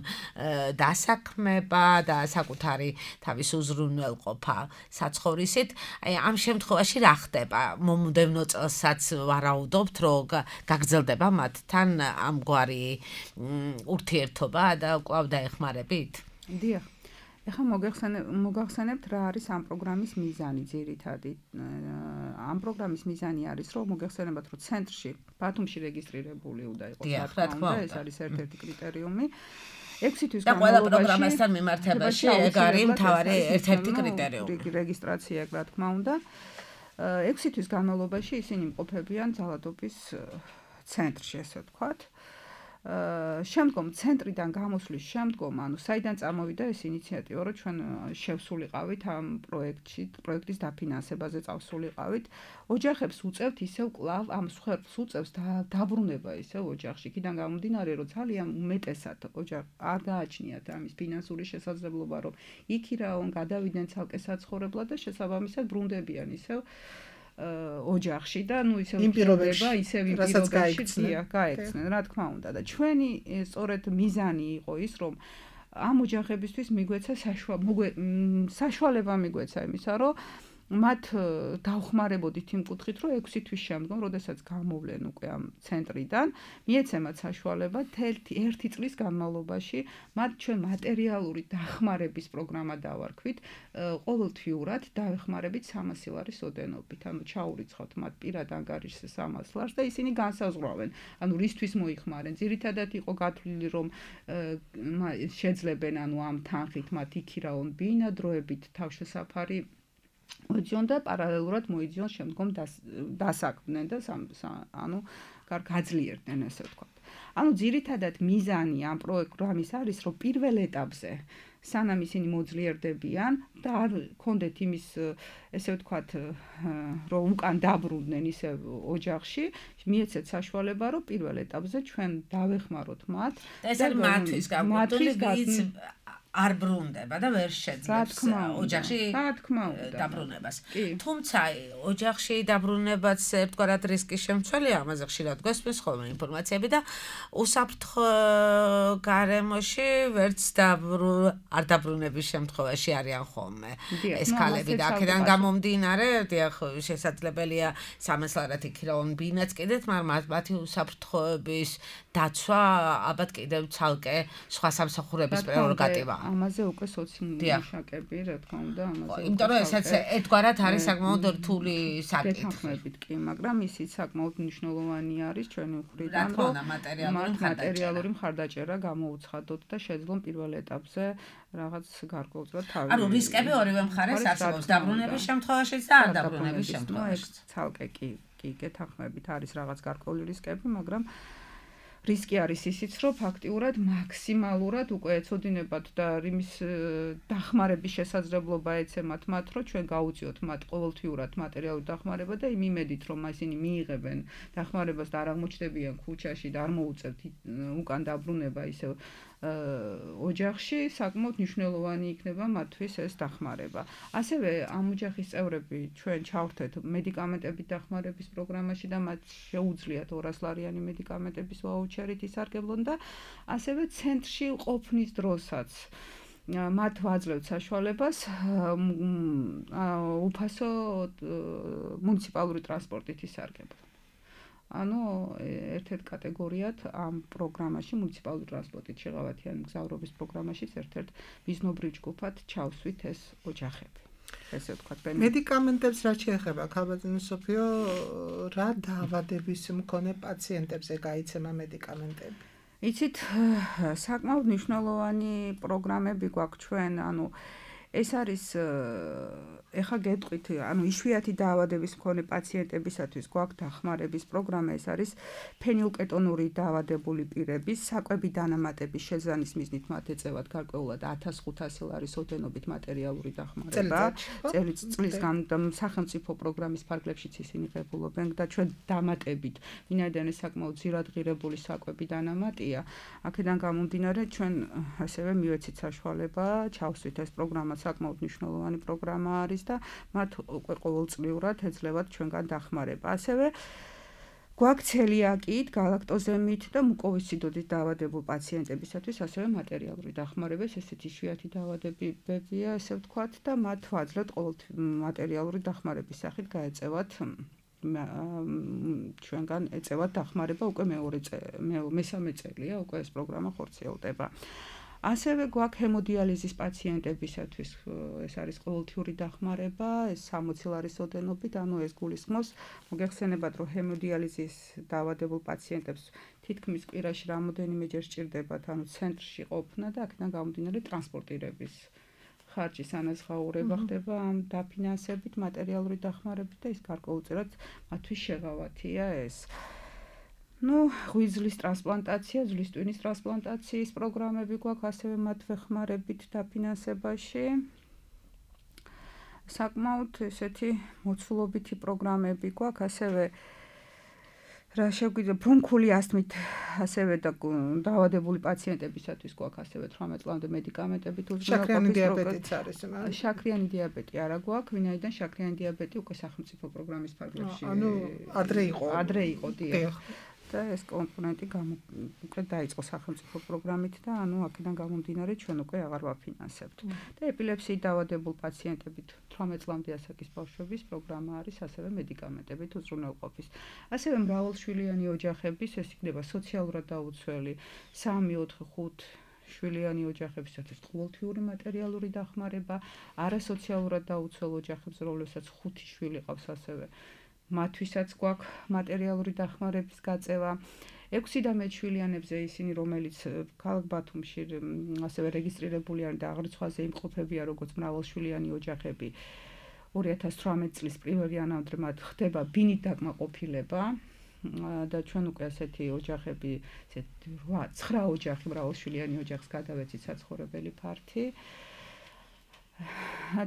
Speaker 3: დასაქმება და საკუთარი თავის უზრუნველყოფა საცხოვრისით აი ამ შემთხვევაში რა ხდება მომდევნო წელსაც ვარაუდობთ რომ გაგრძელდება მათთან ამგვარი ურთიერთობა და კვლავ დაეხმარებით
Speaker 5: დიახ ეხლა მოგახსენებთ რა არის ამ პროგრამის მიზანი ძირითადი. ამ პროგრამის მიზანი არის რომ მოგახსენებათ რომ ცენტრში ბათუმში რეგისტრირებული უნდა იყოს რა თქმა უნდა ეს არის ერთ-ერთი კრიტერიუმი. 6 თვის
Speaker 3: განმავლობაში და ყველა პროგრამასთან მიმართებაში ეგ არის მთავარი ერთ-ერთი კრიტერიუმი.
Speaker 5: რეგისტრაცია რა თქმა უნდა. 6 თვის განმავლობაში ისინი იმყოფებიან ძალადობის ცენტრში ესე ვთქვათ. შემდგომ ცენტრიდან გამოსვლის შემდგომ, ანუ საიდან წამოვიდა ეს ინიციატივა, რომ ჩვენ შევსულიყავით ამ პროექტის დაფინანსებაზე წავსულიყავით, ოჯახებს უწევთ ისევ კვლავ ამ სხვერპლს უწევს დაბრუნება ისევ ოჯახში. იქიდან გამომდინარე, რომ ძალიან უმეტესად არ გააჩნიათ ამის ფინანსური შესაძლებლობა, რომ იქ-იქ გადავიდნენ ცალკე საცხოვრებლად და შესაბამისად ბრუნდებიან ისევ ოჯახში და ნუ ისევ პირობა ისევ პირობაში გაექცნენ რა თქმა უნდა და ჩვენი სწორედ მიზანი იყო ის რომ ამ ოჯახებისთვის მიგვეცა საშუალება მიგვეცა იმისა რომ მათ დავხმარებოდით იმ კუთხით რომ 6 თვის შემდგომ როდესაც გამოვლენ უკვე ამ ცენტრიდან მიეცემათ საშუალება 1 წლის განმავლობაში მათ ჩვენ მატერიალური დახმარების პროგრამა დავარქვით ყოველთვიურად დავეხმარებით 300 ლარის ოდენობით ანუ ჩაურიცხავთ მათ პირად ანგარიშზე 300 ლარს და ისინი განსაზღვრავენ ანუ რისთვის მოიხმარენ ძირითადად იყო გათვლილი რომ შეძლებენ ანუ ამ თანხით მათ იქირაონ ბინადროებით თავშესაფარი მოიძიონ და პარალელურად მოიძიონ შემდგომ დასაქმდნენ და ანუ გაძლიერდნენ ესე ვთქვათ. ანუ ძირითადად მიზანი ამ პროგრამის არის რომ პირველ ეტაპზე სანამ ისინი მოძლიერდებიან და არ კონდეთ იმის ესე ვთქვათ რომ უკან დაბრუნდნენ ისე ოჯახში მიეცეთ საშუალება რომ პირველ ეტაპზე ჩვენ დავეხმაროთ მათ
Speaker 3: და ეს არის მათთვის გამოდული არ ბრუნდება და ვერ შეძლებს ოჯახში დაბრუნებას. თუმცა ოჯახში დაბრუნებაც ერთგვარად რისკის შემცველია, ამაზე ხშირად გვესმის ხოლმე ინფორმაციები და უსაფრთხო გარემოში ვერც არ დაბრუნების შემთხვევაში არიან ხოლმე ეს ქალები და აქედან გამომდინარე, დიახ, შესაძლებელია 300 ლარად იქირაონ ბინაც კიდეც, მაგრამ მათი უსაფრთხოების დაცვა ალბათ კიდევ ცალკე სხვა სამსახურების პრეროგატივა.
Speaker 5: ამაზე უკვე სოციუმშაკები, რა თქმა უნდა, ამაზე.
Speaker 3: იმიტომ რომ ესაც ერთგვარად არის საკმაოდ რთული საკითხი.
Speaker 5: კი, მაგრამ ისიც საკმაოდ მნიშვნელოვანი არის ჩვენი მხრიდან, რომ მატერიალური მხარდაჭერა გამოუცხადოთ და შეძლონ პირველ ეტაპზე რაღაც გარკვეულწილად თავი.
Speaker 3: ანუ რისკები ორივე მხარეს არსებობს დაბრუნების შემთხვევაშიც და არ დაბრუნების შემთხვევაშიც.
Speaker 5: ცალკე კი გეთანხმებით არის რაღაც გარკვეული რისკები, მაგრამ რისკი არის ისიც, რომ ფაქტიურად მაქსიმალურად უკვე ეცოდინებათ და იმის დახმარების შესაძლებლობა ეცემათ მათ, რომ ჩვენ გაუწიოთ მათ ყოველთვიურად მატერიალური დახმარება და იმ იმედით, რომ ისინი მიიღებენ დახმარებას და არ აღმოჩნდებიან ქუჩაში და არ მოუწევთ უკან დაბრუნება ისევ ოჯახში, საკმაოდ მნიშვნელოვანი იქნება მათთვის ეს დახმარება. ასევე ამ ოჯახის წევრები ჩვენ ჩავრთეთ მედიკამენტებით დახმარების პროგრამაში და მათ შეუძლიათ 200 ლარიანი მედიკამენტების ვაუჩერით ისარგებლონ და ასევე ცენტრში ყოფნის დროსაც მათ ვაძლევთ საშუალებას უფასო მუნიციპალური ტრანსპორტით ისარგებლონ. ანუ ერთ-ერთ კატეგორიად ამ პროგრამაში მუნიციპალური ტრანსპორტით შეღავათიან მგზავრობის პროგრამაშიც ერთ-ერთ მიზნობრივ ჯგუფად ჩავსვით ეს ოჯახები. ესე ვთქვათ,
Speaker 4: მედიკამენტებს რა შეეხება, ქალბატონო სოფიო, რა დაავადების მქონე პაციენტებზე გაიცემა მედიკამენტები?
Speaker 5: იცით, საკმაოდ მნიშვნელოვანი პროგრამები გვაქვს ჩვენ, ანუ ეს არის ეხა გეტყვით, ანუ იშვიათი დაავადების მქონე პაციენტებისათვის გვაქვს დახმარების პროგრამა, ეს არის ფენილკეტონური დაავადებული პირების საკვები დანამატების შეზანის მიზნით მათ ეწევათ გარკვეულად 1500 ლარის ოდენობით მატერიალური დახმარება. წლის სახელმწიფო პროგრამის ფარგლებშიც ისინი ღებულობენ და ჩვენ დამატებით, ვინაიდან ეს საკმაოდ ძირადღირებული საკვები დანამატია, აქედან გამომდინარე ჩვენ ასევე მივეცით საშუალება ჩავსვით ეს პროგრამა საკმაოდ მნიშვნელოვანი პროგრამა არის და მათ უკვე ყოველწლიურად ეძლევათ ჩვენგან დახმარება. ასევე გვაქვს ცელიაკით, გალაქტოზემით და მუკოვისციდოზით დაავადებულ პაციენტებისათვის ასევე მატერიალური დახმარება, ესეთი იშვიათი დაავადებებია, ესე ვთქვათ და მათ ვაძლევთ ყოველთვის მატერიალური დახმარების სახით გაეწევათ ჩვენგან ეწევათ დახმარება უკვე მესამე წელია უკვე ეს პროგრამა ხორციელდება. ასევე გვაქვს ჰემოდიალიზის პაციენტებისათვის ეს არის ყოველთვიური დახმარება, ეს 60 ლარის ოდენობით, ანუ ეს გულისხმობს, მოგეხსენებათ, რომ ჰემოდიალიზის დაავადებულ პაციენტებს თითქმის კვირაში რამოდენიმეჯერ სჭირდებათ, ანუ ცენტრში ყოფნა და აქედან გამომდინარე ტრანსპორტირების ხარჯის ანაზღაურება ხდება ამ დაფინანსებით, მატერიალური დახმარებით და ის გარკვეულწილად მათთვის შეღავათია ეს. ღვიძლის ტრანსპლანტაცია, ძვლის ტვინის ტრანსპლანტაციის პროგრამები გვაქვს ასევე მათ ვეხმარებით დაფინანსებაში. საკმაოდ ესეთი მოცულობითი პროგრამები გვაქვს, ასევე რა შეგვიძლია ბრონქული ასთმით ასევე დაავადებული პაციენტებისათვის გვაქვს ასევე 18 წლამდე მედიკამენტებით
Speaker 4: შაქრიანი დიაბეტიც არის.
Speaker 5: შაქრიანი დიაბეტი არა გვაქვს, ვინაიდან შაქრიანი დიაბეტი უკვე სახელმწიფო პროგრამის ფარგლებში ადრე იყო დიახ. და ეს კომპონენტი უკვე დაიწყო სახელმწიფო პროგრამით და ანუ აქედან გამომდინარე ჩვენ უკვე აღარ ვაფინანსებთ. და ეპილეფსიით დაავადებულ პაციენტებით 18 წლამდე ასაკის ბავშვების პროგრამა არის ასევე მედიკამენტებით უზრუნველყოფის. ასევე მრავალშვილიანი ოჯახების, ეს იქნება სოციალურად დაუცველი 3, 4, 5 შვილიანი ოჯახებისათვის ყოველთვიური მატერიალური დახმარება, არასოციალურად დაუცველ ოჯახებს, რომლებსაც 5 შვილი ყავს ასევე მათთვისაც გვაქვს მატერიალური დახმარების გაწევა. 6 და მეტ შვილიანებზე ისინი, რომელიც ქალაქ ბათუმში ასევე რეგისტრირებული არიან და აღრიცხვაზე იმყოფებიან როგორც მრავალშვილიანი ოჯახები, 2018 წლის 1 იანვრამდე მათ ხდება ბინით დაკმაყოფილება და ჩვენ უკვე ასეთი ოჯახები, 9 ოჯახი მრავალშვილიანი ოჯახს გადავეცით საცხოვრებელი ფართი.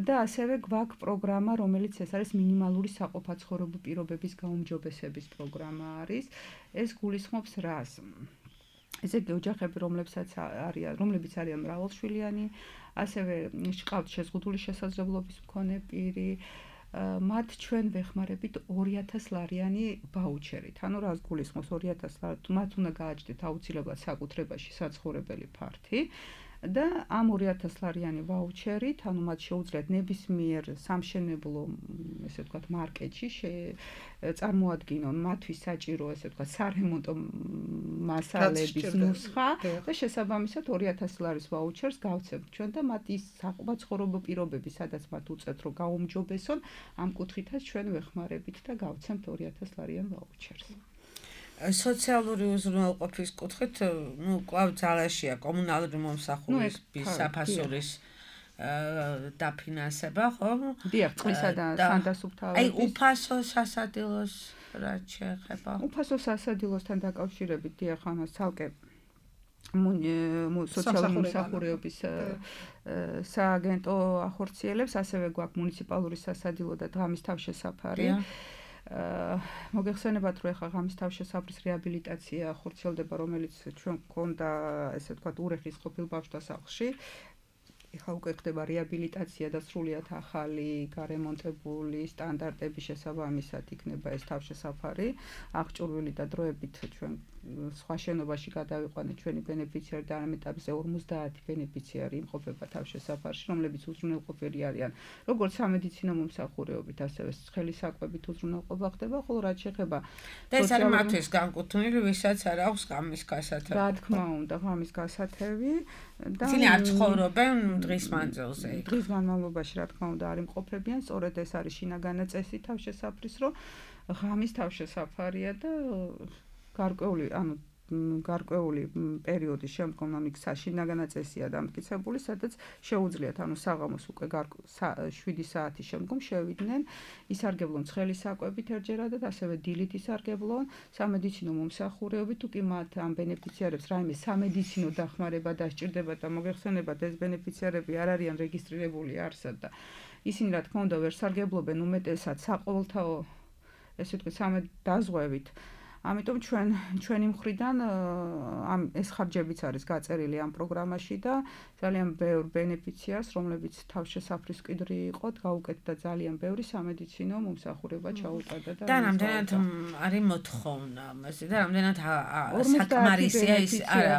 Speaker 5: და ასევე გვაქვს პროგრამა, რომელიც ეს არის მინიმალური საყოფაცხოვრებო პირობების გაუმჯობესების პროგრამა არის. ეს გულისხმობს რას? ესეთი ოჯახები, რომლებიც არიან მრავალშვილიანი, ასევე ჰყავთ შეზღუდული შესაძლებლობის მქონე პირი, მათ ჩვენ ვეხმარებით 2000 ლარიანი ვაუჩერით. ანუ რას გულისხმობს 2000 ლარი? მათ უნდა გააჩნდეთ აუცილებლად საკუთრებაში საცხოვრებელი ფართი. და ამ 2000 ლარიანი ვაუჩერით, ანუ მათ შეუძლიათ ნებისმიერ სამშენებლო, ესე ვთქვათ, მარკეტში წარმოადგინონ მათთვის საჭირო, ესე ვთქვათ, სარემონტო მასალების ნუსხა და შესაბამისად 2000 ლარის ვაუჩერს გავცემთ ჩვენ და მათ ის საყოფაცხოვრებო პირობები, სადაც მათ უწევთ, რომ გაუმჯობესონ, ამ კუთხითაც ჩვენ ვეხმარებით და გავცემთ 2000 ლარიან ვაუჩერს.
Speaker 3: სოციალური უზრუნველყოფის კუთხით, კვლავ ძალაშია კომუნალური მომსახურების საფასურის დაფინანსება, ხო?
Speaker 5: დიახ, წყლისა და სანდასუფთავების.
Speaker 3: უფასო სასადილოს რაც შეეხება.
Speaker 5: უფასო სასადილოსთან დაკავშირებით, დიახ, ამას ცალკე სოციალური მომსახურების სააგენტო ახორციელებს, ასევე გვაქვს მუნიციპალური სასადილო და ღამის თავშესაფარი. მოგეხსენებათ, რომ ეხლა ღამის თავშესაფრის რეაბილიტაცია ხორციელდება, რომელიც ჩვენ გქონდა, ესე ვთქვათ, ურეხის ყოფილ ბავშვთა სახლში. ეხლა უკვე ხდება რეაბილიტაცია და სრულიად ახალი გარემონტებული სტანდარტების შესაბამისად იქნება ეს თავშესაფარი. აღჭურვილი და დროებით ჩვენ სხვა შენობაში გადავიყვანეთ ჩვენი ბენეფიციარი და ამ ეტაპზე 50 ბენეფიციარი იმყოფება თავშესაფარში, რომლებიც უზრუნველყოფილი არიან როგორც სამედიცინო მომსახურეობით, ასევე ცხელი საკვებით უზრუნველყოფა ხდება, ხოლო რაც შეეხება
Speaker 3: და ეს არის მათთვის განკუთვნილი, ვისაც არ აქვს ღამის გასათევი.
Speaker 5: რა თქმა უნდა, ღამის გასათევი და
Speaker 3: ისინი არ ცხოვრობენ დღის მანძილზე.
Speaker 5: დღის განმავლობაში რა თქმა უნდა არ იმყოფებიან, სწორედ ეს არის შინაგანი წესი თავშესაფრის, რომ ღამის თავშესაფარია და გარკვეული, ანუ გარკვეული პერიოდის შემდგომ იქ შინაგანა წესია დამტკიცებული, სადაც შეუძლიათ საღამოს უკვე 7 საათის შემდგომ შევიდნენ, ისარგებლონ ცხელი საკვებით ერთჯერადად, ასევე დილით ისარგებლონ სამედიცინო მომსახურეობით, თუ კი მათ ამ ბენეფიციარებს რაიმე სამედიცინო დახმარება დასჭირდებათ და მოგეხსენებათ, ეს ბენეფიციარები არ არიან რეგისტრირებული არსად და ისინი რა თქმა უნდა ვერ სარგებლობენ უმეტესად საყოველთაო ესე ვთქვით სამედაზღვევით. ამიტომ ჩვენი მხრიდან ეს ხარჯებიც არის გაწერილი ამ პროგრამაში და ძალიან ბევრ ბენეფიციარს, რომლებიც თავშესაფრის მკვიდრი იყო, გაუკეთდა ძალიან ბევრი სამედიცინო მომსახურება ჩაუტარდა
Speaker 3: და რამდენად არის მოთხოვნა, ესე და რამდენად საკმარისია ის არა.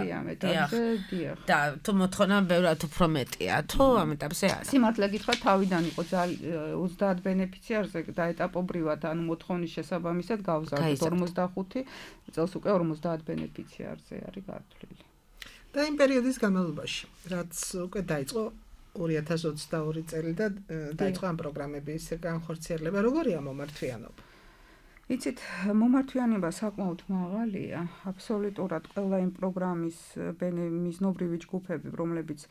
Speaker 3: და თუ მოთხოვნა ბევრად უფრო მეტია, თუ ამ ეტაპზე არა.
Speaker 5: სიმართლე გითხრათ, თავიდან იყო 30 ბენეფიციარზე დაეტაპობრივად, მოთხოვნის შესაბამისად გავზარდეთ 45 წელს უკვე 50 ბენეფიციარზე არის გართვლილი.
Speaker 4: და იმ პერიოდის განმავლობაში, რაც უკვე დაიწყო 2022 წელი და დაიწყო ამ პროგრამების განხორციელება, როგორია მომართვიანობა?
Speaker 5: იცით, მომართვიანება საკმაოდ მაღალია, აბსოლუტურად ყველა იმ პროგრამის მიზნობრივი ჯგუფები, რომლებიც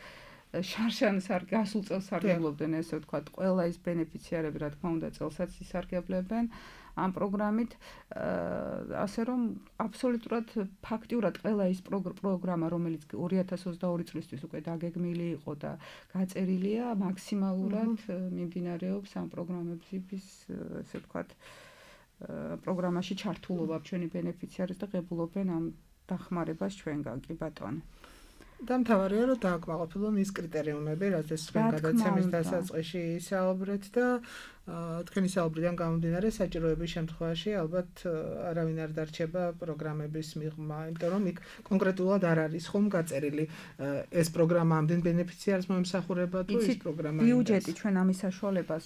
Speaker 5: შარშანს გასულ წელს სარგებლობდნენ, ესე ვთქვათ, ყველა ის ბენეფიციარები, რა თქმა უნდა, წელსაც ისარგებლებენ ამ პროგრამით, ასე რომ აბსოლუტურად ფაქტიურად ყველა ის პროგრამა, რომელიც 2022 წლისთვის უკვე დაგეგმილი იყო და გაწერილია, მაქსიმალურად მიმდინარეობს ამ პროგრამების, ესე ვთქვათ, პროგრამაში ჩართულობა ჩვენი ბენეფიციარის და ღებულობენ ამ დახმარებას ჩვენგან, კი ბატონო.
Speaker 4: და მთავარია რომ დააკმაყოფილონ ის კრიტერიუმები, რაც ჩვენ გადაცემის დასაწყისში ისაუბრეთ და თქვენი საუბრიდან გამომდინარე საჭიროების შემთხვევაში ალბათ არავინ არ დარჩება პროგრამების მიღმა, იმიტომ რომ იქ კონკრეტულად არ არის ხომ გაწერილი ეს პროგრამა ამდენ ბენეფიციარს მომსახურება თუ ის პროგრამა
Speaker 5: ბიუჯეტი ჩვენ ამის საშუალებას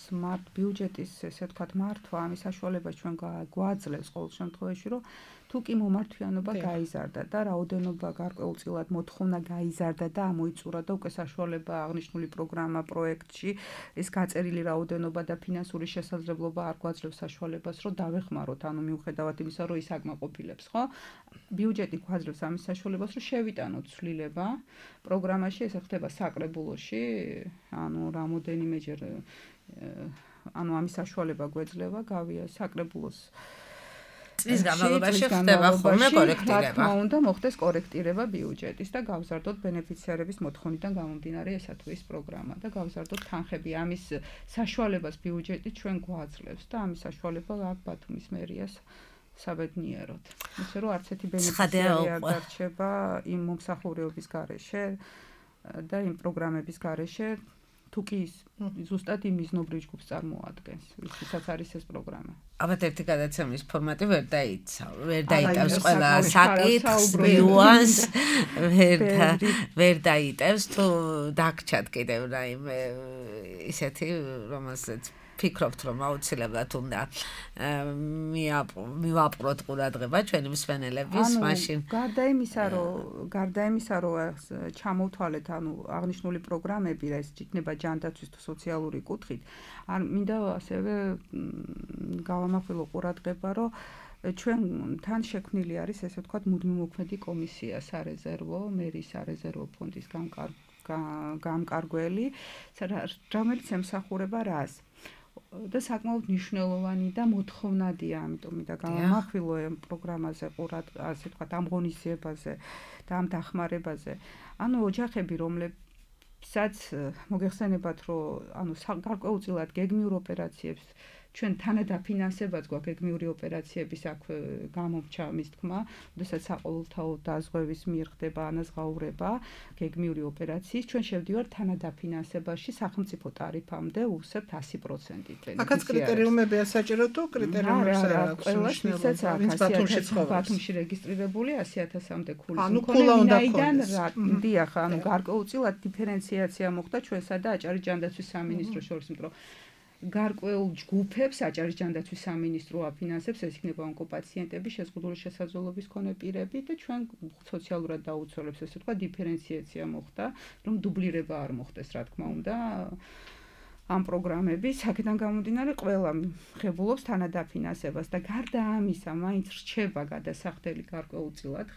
Speaker 5: ბიუჯეტის ესე ვთქვათ მართვა ამის საშუალებას ჩვენ გვაძლევს ყოველ შემთხვევაში რომ თუ კი მომართვიანობა გაიზარდა და რაოდენობა გარკვეულწილად მოთხოვნა გაიზარდა და ამოიწურა და უკვე საშუალება აღნიშნული პროგრამა პროექტში ეს გაწერილი რაოდენობა და ფინანსური შესაძლებლობა არ გვაძლევს საშუალებას რომ დავეხმაროთ ანუ მიუხედავად იმისა რომ ის აკმაყოფილებს ხო ბიუჯეტი გვაძლევს ამის საშუალებას რომ შევიტანოთ ცვლილება პროგრამაში ეს ხდება საკრებულოში ანუ რამოდენიმეჯერ ანუ ამის საშუალება გვეძლევა გავია საკრებულოს
Speaker 3: წლის განმავლობაში ხდება ხოლმე კორექტირება.
Speaker 5: რა თქმა უნდა, მოხდეს კორექტირება ბიუჯეტის და გავზარდოთ ბენეფიციარების მოთხოვნიდან გამომდინარე ესა თუ ის პროგრამა და გავზარდოთ თანხები. ამის საშუალებას ბიუჯეტი ჩვენ გვაძლევს და ამის საშუალება აქ ბათუმის მერიას საბედნიეროდ. ისე რომ არც ერთი ბენეფიციარი არ დარჩება იმ მომსახურეობის გარეშე და იმ პროგრამების გარეშე თუ კი ზუსტად იმ მიზნობრივ ჯგუფს წარმოადგენს, ვისაც არის ეს პროგრამა.
Speaker 3: ალბათ ერთი გადაცემის ფორმატი ვერ დაიტევს ყველა საკითხს, ნიუანს, ვერ დაიტევს თუ დაგჭათ კიდევ რაიმე ისეთი, რომელსაც ფიქრობთ რომ აუცილებლად უნდა მივაპყროთ ყურადღება ჩვენი მსმენელების მაშინ
Speaker 5: გარდა იმისა რომ ჩამოვთვალეთ ანუ აღნიშნული პროგრამები რა ეს იქნება ჯანდაცვის თუ სოციალური კუთხით არ მინდა ასევე გავამახვილო ყურადღება რომ ჩვენ თან შექმნილი არის ესე ვთქვათ მუდმივმოქმედი კომისია სარეზერვო მერის სარეზერვო ფონდის გამკარგველი რომელიც ემსახურება რას და საკმაოდ მნიშვნელოვანი და მოთხოვნადია, ამიტომ მინდა გავამახვილო ამ პროგრამაზე ასე ვთქვათ ამ ღონისძიებაზე და ამ დახმარებაზე. ანუ ოჯახები, რომლებსაც მოგეხსენებათ, რომ ანუ გარკვეულწილად გეგმიურ ოპერაციებს ჩვენ თანადაფინანსებაც გვაქვს გეგმიური ოპერაციების აქ გამომრჩა მის თქმა, როდესაც საყოველთაო დაზღვევის მიერ ხდება ანაზღაურება გეგმიური ოპერაციის, ჩვენ შევდივართ თანადაფინანსებაში სახელმწიფო ტარიფამდე უსებთ 100%.
Speaker 4: აქაც კრიტერიუმებია საჭირო თუ კრიტერიუმებს არ აქვს მნიშვნელობა.
Speaker 5: ბათუმში რეგისტრირებული 100,000-მდე ქულის
Speaker 4: მქონე ვინაიდან
Speaker 5: დიახ, ანუ გარკვეულწილად დიფერენციაცია მოხდა ჩვენსა და აჭარის ჯანდაცვის სამინისტროს შორის, იმიტომ გარკვეულ ჯგუფებს აჭარის ჯანდაცვის სამინისტრო აფინანსებს ეს იქნება ონკოპაციენტები შეზღუდული შესაძლებლობის მქონე პირები და ჩვენ სოციალურად დაუცველებს ესე თქვა დიფერენციაცია მოხდა რომ დუბლირება არ მოხდეს რა თქმა უნდა ამ პროგრამების, აქედან გამომდინარე ყველა ხებულობს თანადაფინანსებას და გარდა ამისა, მაინც რჩება გადასახდელი გარკვეულწილად,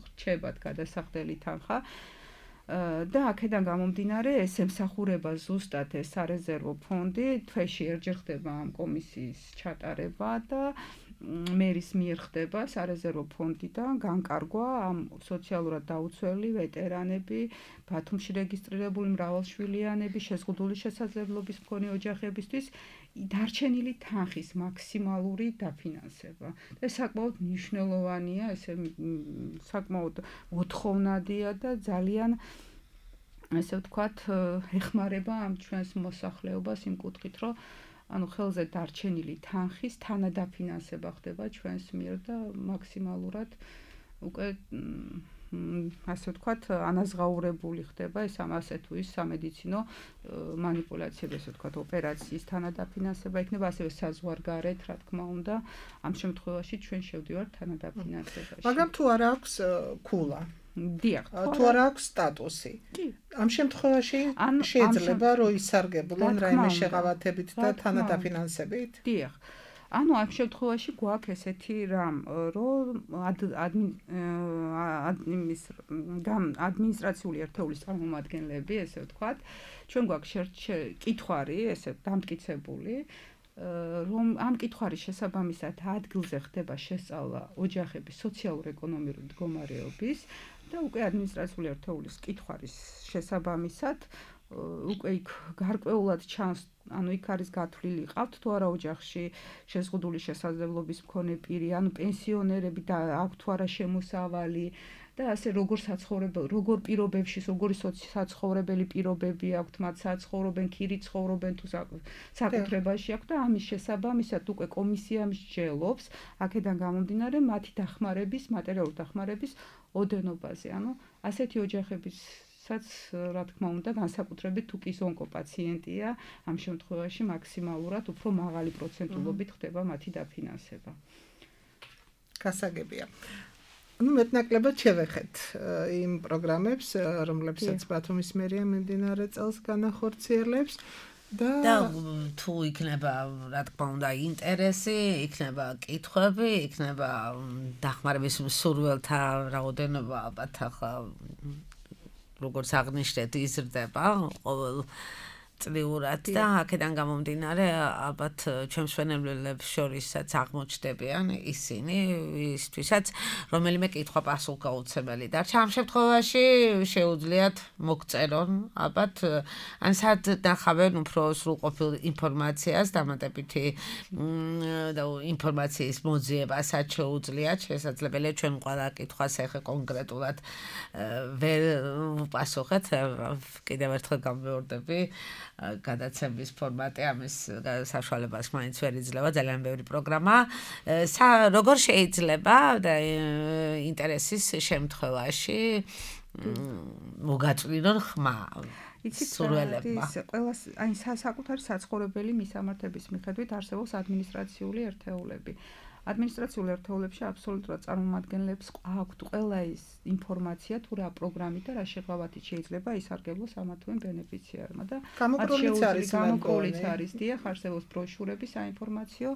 Speaker 5: რჩებათ გადასახდელი თანხა და აქედან გამომდინარე ეს ემსახურება ზუსტად ეს სარეზერვო ფონდი, თვეში ერთხელ ხდება ამ კომისიის ჩატარება და მერის მიერ ხდება სარეზერვო ფონდიდან განკარგვა ამ სოციალურად დაუცველი ვეტერანები, ბათუმში რეგისტრირებული მრავალშვილიანები, შეზღუდული შესაძლებლობის მქონე ოჯახებისთვის დარჩენილი თანხის მაქსიმალური დაფინანსება. ეს საკმაოდ მნიშვნელოვანია, ესე საკმაოდ მოთხოვნადია და ძალიან ესე ვთქვათ, ეხმარება ამ ჩვენს მოსახლეობას იმ კუთხით, რომ ანუ ხელზე დარჩენილი თანხის თანადაფინანსება ხდება ჩვენს მიერ და მაქსიმალურად უკვე ასე ვთქვათ, ანაზღაურებული ხდება ეს ამასე თუ ის სამედიცინო მანიპულაციები, ასე ვთქვათ, ოპერაციის თანადაფინანსება იქნება, ასევე საზღვარგარეთ, რა თქმა უნდა, ამ შემთხვევაში ჩვენ შევდივართ თანადაფინანსებაში.
Speaker 4: მაგრამ თუ არ აქვს ქულა
Speaker 5: დიახ,
Speaker 4: თუ არ აქვს სტატუსი. ამ შემთხვევაში შეიძლება რომ ისარგებლონ რაიმე შეღავათებით და თანადაფინანსებით?
Speaker 5: დიახ. ანუ ამ შემთხვევაში გვაქვს ესეთი რამ, რომ ადმინისტრაციული ერთეულის წარმომადგენლები, ესე ვთქვათ, ჩვენ გვაქვს კითხვარი, ესე დამტკიცებული, რომ ამ კითხვის შესაბამისად ადგილზე ხდება შესწავლა ოჯახების სოციალურ-ეკონომიური მდგომარეობის და უკვე ადმინისტრაციული ერთეულის კითხვის შესაბამისად უკვე იქ გარკვეულად ჩანს, ანუ იქ არის გათვლილი ყავთ თუ არა ოჯახში შეზღუდული შესაძლებლობის მქონე პირი, ანუ პენსიონერები და აქვთ თუ არა შემოსავალი და ასე როგორ პირობებში, როგორი საცხოვრებელი პირობები აქვთ, მათ საცხოვრობენ, ქირით ცხოვრობენ თუ საკუთრებაში აქვთ და ამის შესაბამისად უკვე კომისია მსჯელობს, აქედან გამომდინარე მათი დახმარების, მატერიალური დახმარების ოდენობაზე. ანუ ასეთი ოჯახებისაც, რა თქმა უნდა, განსაკუთრებით თუ კი ონკოპაციენტია, ამ შემთხვევაში მაქსიმალურად უფრო მაღალი პროცენტულობით ხდება მათი დაფინანსება.
Speaker 4: გასაგებია. Ну, მეტნაკლებად შევეხეთ იმ პროგრამებს, რომლებსაც ბათუმის მერია მიმდინარე წელს განახორციელებს და
Speaker 3: თუ იქნება, რა თქმა უნდა, ინტერესი, იქნება კითხვები, იქნება დახმარების მსურველთა რაოდენობა, ალბათ ახლა როგორც აღნიშნეთ, იზრდება ყოველ წლიურად და აქედან გამომდინარე ალბათ ჩვენ მსვენებლებს შორისაც აღმოჩნდებიან ისინი, ისთვისაც რომელიმე კითხვა პასუხგაუცემელი დარჩა. ამ შემთხვევაში შეუძლიათ მოგწერონ, ალბათ ან სად ნახავენ უფრო სრულყოფილ ინფორმაციას, დამატებითი ინფორმაციის მოძიებასაც შეუძლიათ, შესაძლებელია ჩვენ ყველა კითხვას ახლა კონკრეტულად ვერ ვპასუხეთ, კიდევ ერთხელ გამეორდები გადაცემის ფორმატი ამის საშუალებას მაინც ვერ იძლევა, ძალიან ბევრი პროგრამა. როგორ შეიძლება და ინტერესის შემთხვევაში მოგაწვინონ ხმა სურველებმა.
Speaker 5: ყველას აი საკუთარი საცხოვრებელი მისამართების მიხედვით არსებობს ადმინისტრაციული ერთეულები. ადმინისტრაციულ ერთეულებში აბსოლუტურად წარმომადგენლებს აქვთ ყველა ის ინფორმაცია თუ რა პროგრამით და რა შეღავათით შეიძლება ისარგებლოს ამა თუ იმ ბენეფიციარმა და გამოკროლიც არის, დიახ, არსებობს ბროშურები საინფორმაციო,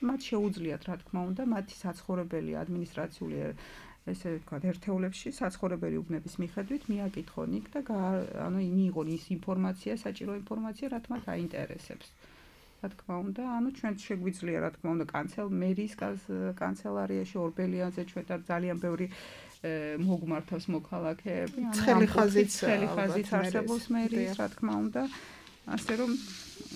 Speaker 5: მათ შეუძლიათ, რა თქმა უნდა, მათი საცხოვრებელი ადმინისტრაციული ესე ვთქვათ, ერთეულებში საცხოვრებელი უბნების მიხედვით მიაკითხონ იქ და ანუ მიიღონ ის ინფორმაცია, საჭირო ინფორმაცია, რაც მათ აინტერესებს. რა თქმა უნდა, ანუ ჩვენ შეგვიძლია, რა თქმა უნდა, მერის კანცელარიაში ორბელიანზე ჩვენ ძალიან ბევრი მოგმართავს მოქალაქეები,
Speaker 4: ცხელი ხაზით
Speaker 5: არსებობს მერის, რა თქმა უნდა, ასე რომ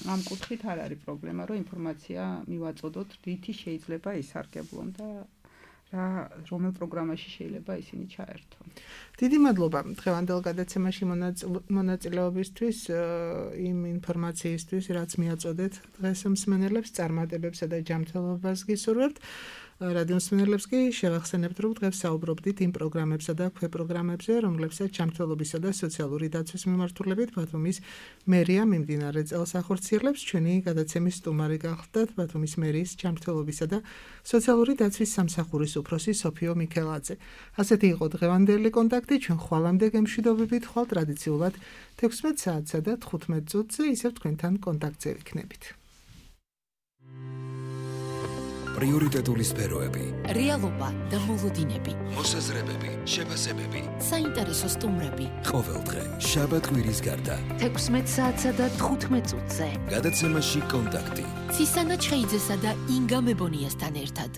Speaker 5: ამ კუთხით არ არის პრობლემა, რომ ინფორმაცია მივაწოდოთ, რითი შეიძლება ისარგებლონ და რომელ პროგრამაში შეიძლება ისინი ჩაერთონ.
Speaker 4: დიდი მადლობა დღევანდელ გადაცემაში მონაწილეობისთვის, იმ ინფორმაციისთვის, რაც მიაწოდეთ დღეს მსმენელებს, წარმატებებსა და ჯანმრთელობას გისურვებთ. რადიო მსმენელებს კი შევახსენებთ, რომ დღეს საუბრობდით იმ პროგრამებსა და ქვეპროგრამებზე, რომლებსაც ჯანმრთელობისა და სოციალური დაცვის მიმართულებით ბათუმის მერია მიმდინარე წელს ახორციელებს. ჩვენი გადაცემის სტუმარი გახლდათ ბათუმის მერიის ჯანმრთელობისა და სოციალური დაცვის სამსახურის უფროსი სოფიო მიქელაძე. ასეთი იყო დღევანდელი კონტაქტი. ჩვენ ხვალამდე გემშვიდობებით, ხვალ ტრადიციულად 16 საათსა და 15 წუთზე ისევ თქვენთან კონტაქტზე ვიქნებით.
Speaker 1: პრიორიტეტული სფეროები,
Speaker 2: რეალობა და მოლოდინები,
Speaker 1: მოსაზრებები, შეფასებები,
Speaker 2: საინტერესო სტუმრები.
Speaker 1: ყოველდღე, შაბათ-კვირის გარდა.
Speaker 2: 16 საათსა და 15 წუთზე.
Speaker 1: გადაცემაში კონტაქტი.
Speaker 2: ცისანა ჩხეიძესა და ინგა მებონიასთან ერთად.